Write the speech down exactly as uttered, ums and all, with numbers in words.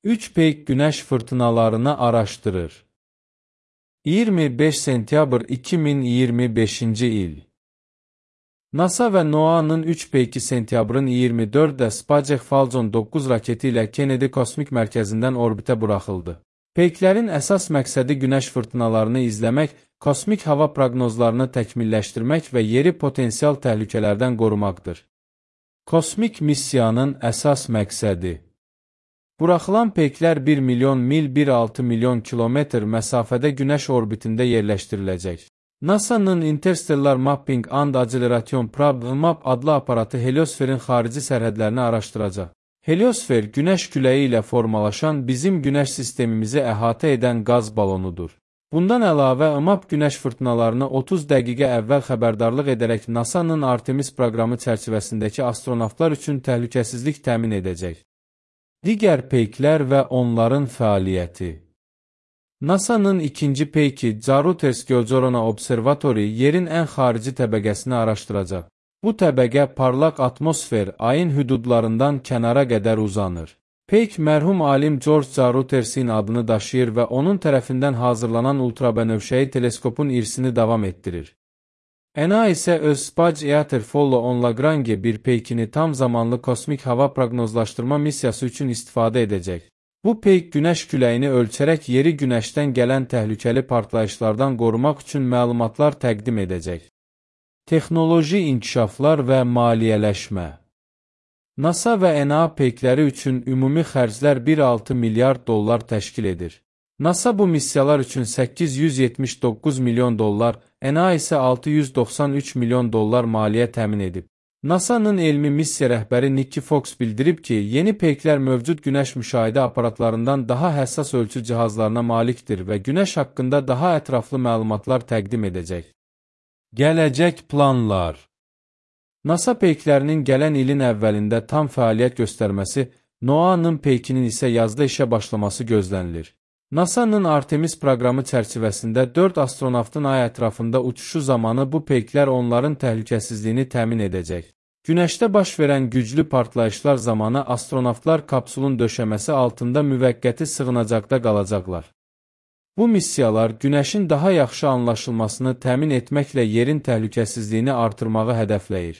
üç peyk günəş fırtınalarını araşdırır. iyirmi beş sentyabr iki min iyirmi beşinci il. NASA və NOAA-nın üç peyki sentyabrın iyirmi dördündə Spacek Falcon doqquz raketi ilə Kennedy Kosmik Mərkəzindən orbitə buraxıldı. Peyklərin əsas məqsədi günəş fırtınalarını izləmək, kosmik hava proqnozlarını təkmilləşdirmək və yeri potensial təhlükələrdən qorumaqdır. Kosmik missiyanın əsas məqsədi: buraxılan peyklər bir milyon mil bir nöqtə altı milyon kilometr məsafədə günəş orbitində yerləşdiriləcək. NASA'nın Interstellar Mapping and Acceleration Probe (MAP) adlı aparatı heliosferin xarici sərhədlərini araşdıracaq. Heliosfer, günəş küləyi ilə formalaşan bizim günəş sistemimizi əhatə edən qaz balonudur. Bundan əlavə, MAP günəş fırtınalarını otuz dəqiqə əvvəl xəbərdarlıq edərək NASA'nın Artemis proqramı çərçivəsindəki astronavtlar üçün təhlükəsizlik təmin edəcək. Digər peyklər və onların fəaliyyəti. NASA'nın ikinci peyki Jarouters Göcorona Observatory yerin ən xarici təbəqəsini araşdıracaq. Bu təbəqə parlaq atmosfer, ayın hüdudlarından kənara qədər uzanır. Peyk mərhum alim George Jaroutersin adını daşıyır və onun tərəfindən hazırlanan ultrabənövşəyi teleskopun irsini davam etdirir. N A isə öz Space-Eater Follow-on Lagrange bir peykini tam zamanlı kosmik hava proqnozlaşdırma missiyası üçün istifadə edəcək. Bu peyk günəş küləyini ölçərək yeri günəşdən gələn təhlükəli partlayışlardan qorumaq üçün məlumatlar təqdim edəcək. Texnoloji inkişaflar və maliyyələşmə. NASA və N A peykləri üçün ümumi xərclər bir nöqtə altı milyard dollar təşkil edir. NASA bu missiyalar üçün səkkiz yüz yetmiş doqquz milyon dollar, N A isə altı yüz doxsan üç milyon dollar maliyyə təmin edib. NASA'nın elmi missiya rəhbəri Nikki Fox bildirib ki, yeni peyklər mövcud günəş müşahidə aparatlarından daha həssas ölçü cihazlarına malikdir və günəş haqqında daha ətraflı məlumatlar təqdim edəcək. Gələcək planlar. NASA peyklərinin gələn ilin əvvəlində tam fəaliyyət göstərməsi, NOAA-nın peykinin isə yazda işə başlaması gözlənilir. NASA'nın Artemis proqramı çərçivəsində dörd astronavtın ay ətrafında uçuşu zamanı bu peyklər onların təhlükəsizliyini təmin edəcək. Günəşdə baş verən güclü partlayışlar zamanı astronavtlar kapsulun döşəməsi altında müvəqqəti sığınacaqda qalacaqlar. Bu missiyalar günəşin daha yaxşı anlaşılmasını təmin etməklə yerin təhlükəsizliyini artırmağı hədəfləyir.